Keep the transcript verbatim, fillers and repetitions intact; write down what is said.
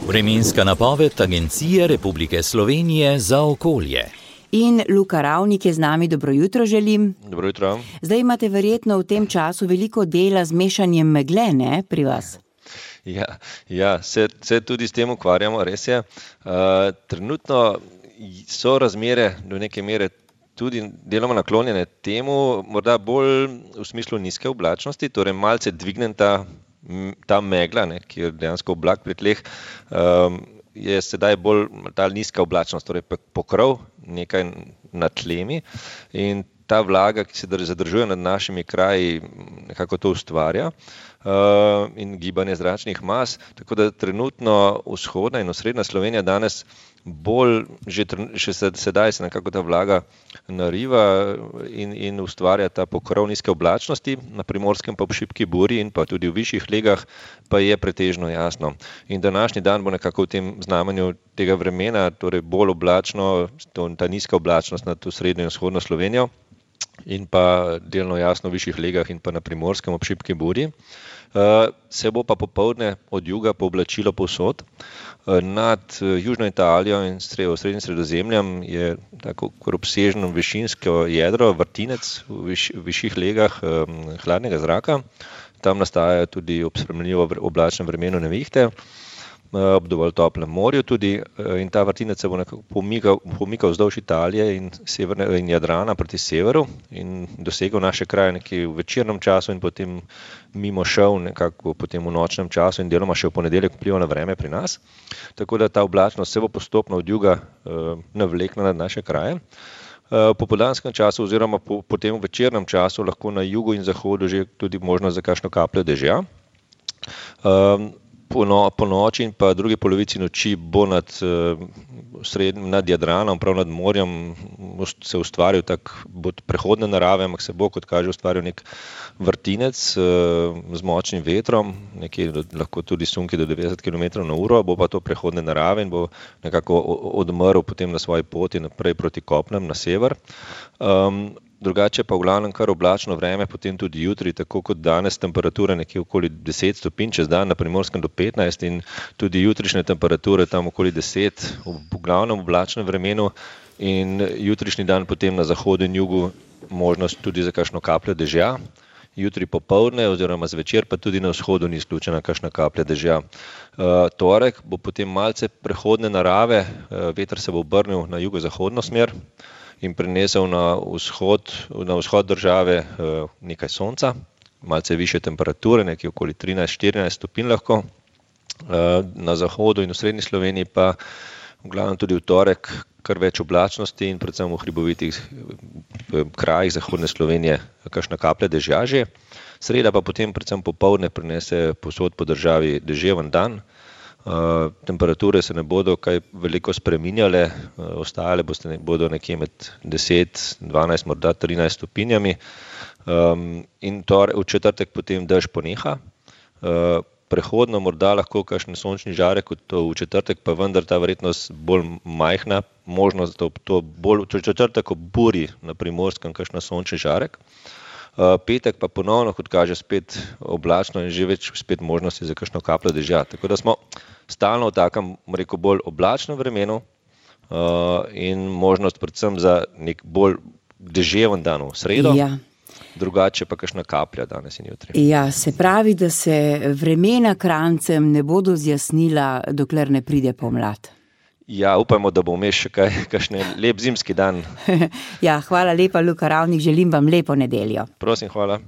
Vremenska napoved Agencije Republike Slovenije za okolje. In Luka Ravnik je z nami, dobro jutro želim. Dobro jutro. Zdaj imate verjetno v tem času veliko dela z mešanjem megle, ne, pri vas? Ja, ja se, se tudi s tem ukvarjamo, res je. Uh, trenutno so razmere do neke mere tudi deloma naklonjene temu, morda bolj v smislu nizke oblačnosti, torej malce dvignem ta, ta megla, ne, ki je dejansko oblak pri tleh, um, je sedaj bolj ta nizka oblačnost, torej pokrov nekaj nad tlemi in ta vlaga, ki se zadržuje nad našimi kraji, nekako to ustvarja uh, in gibanje zračnih mas, tako da trenutno vzhodna in osrednja Slovenija danes bolj, že, že sedaj se nekako ta vlaga nariva in, in ustvarja ta pokrov nizke oblačnosti, na Primorskem pa ob šibki buri in pa tudi v višjih legah pa je pretežno jasno. In današnji dan bo nekako v tem znamenju tega vremena, torej bolj oblačno, ta nizka oblačnost nad srednjo in vzhodno Slovenijo in pa delno jasno v višjih legah in pa na Primorskem ob šibki buri. Uh, se bo pa popoldne od juga pooblačilo povsod. Uh, nad uh, južno Italijo in sred, srednjim Sredozemljem je tako obsežno višinsko jedro, vrtinec v, viš, v višjih legah um, hladnega zraka. Tam nastajajo tudi ob spremljivo oblačnem vremenu nevihte, ob dovolj toplem morju tudi in ta vrtinec se bo nekako pomikal, pomikal vzdolž Italije in, severne, in Jadrana proti severu in dosegel naše kraje nekje v večernem času in potem mimo šel nekako potem v nočnem času in deloma še v ponedeljek vplival na vreme pri nas. Tako da ta oblačnost se bo postopno od juga uh, navlekla nad naše kraje. Uh, po popoldanskem času oziroma po, po tem večernem času lahko na jugu in zahodu že tudi možnost za kakšno kapljo dežja. Um, Po, no, po noči in pa drugi polovici noči bo nad, sred, nad Jadranom, prav nad morjem se ustvaril tak, bo prehodne narave, ampak se bo, kot kaže, ustvaril nek vrtinec z močnim vetrom, nekje lahko tudi sunki do devetdeset kilometrov na uro, bo pa to prehodne narave in bo nekako odmrl potem na svoji poti naprej proti kopnem na sever. Um, Drugače pa v glavnem kar oblačno vreme, potem tudi jutri, tako kot danes, temperature nekje okoli deset stopinj, čez dan na Primorskem do petnajst in tudi jutrišnje temperature tam okoli deset, v glavnem oblačnem vremenu in jutrišnji dan potem na zahodu in jugu možnost tudi za kakšno kapljo dežja. Jutri popoldne oziroma zvečer pa tudi na vzhodu ni izključena kakšna kaplja dežja. Uh, torek bo potem malce prehodne narave, uh, veter se bo obrnil na jugozahodno smer in prinesel na vzhod, na vzhod države uh, nekaj sonca, malce više temperature, nekje okoli trinajst štirinajst stopinj lahko. Uh, na zahodu in v srednji Sloveniji pa v glavnem tudi v torek kar več oblačnosti in predvsem v hribovitih krajih zahodne Slovenije kakšna kaplja dežja že. Sreda pa potem predvsem popoldne prinese povsod po državi deževen dan. Uh, temperature se ne bodo kaj veliko spreminjale, uh, ostale boste, bodo nekje med deset, dvanajst, morda trinajst stopinjami. Um, in tore, v četrtek potem dež poneha. Uh, prehodno morda lahko kakšen sončni žarek, kot to v četrtek, pa vendar ta verjetnost bolj majhna, možnost, da to bolj v četrtek ob buri na Primorskem kakšen sončni žarek. Uh, petek pa ponovno, kot kaže, spet oblačno in že več spet možnosti za kakšno kapljo dežja. Tako da smo stalno v takem, rekel, bolj oblačnem vremenu uh, in možnost predvsem za nek bolj deževen dan v sredo, ja. Drugače pa kakšna kaplja danes in jutri. Ja, se pravi, da se vremena krancem ne bodo zjasnila, dokler ne pride pomlad. Ja, upajmo, da bo vmes še kaj, kakšen lep zimski dan. Ja, hvala lepa, Luka Ravnik, želim vam lepo nedeljo. Prosim, hvala.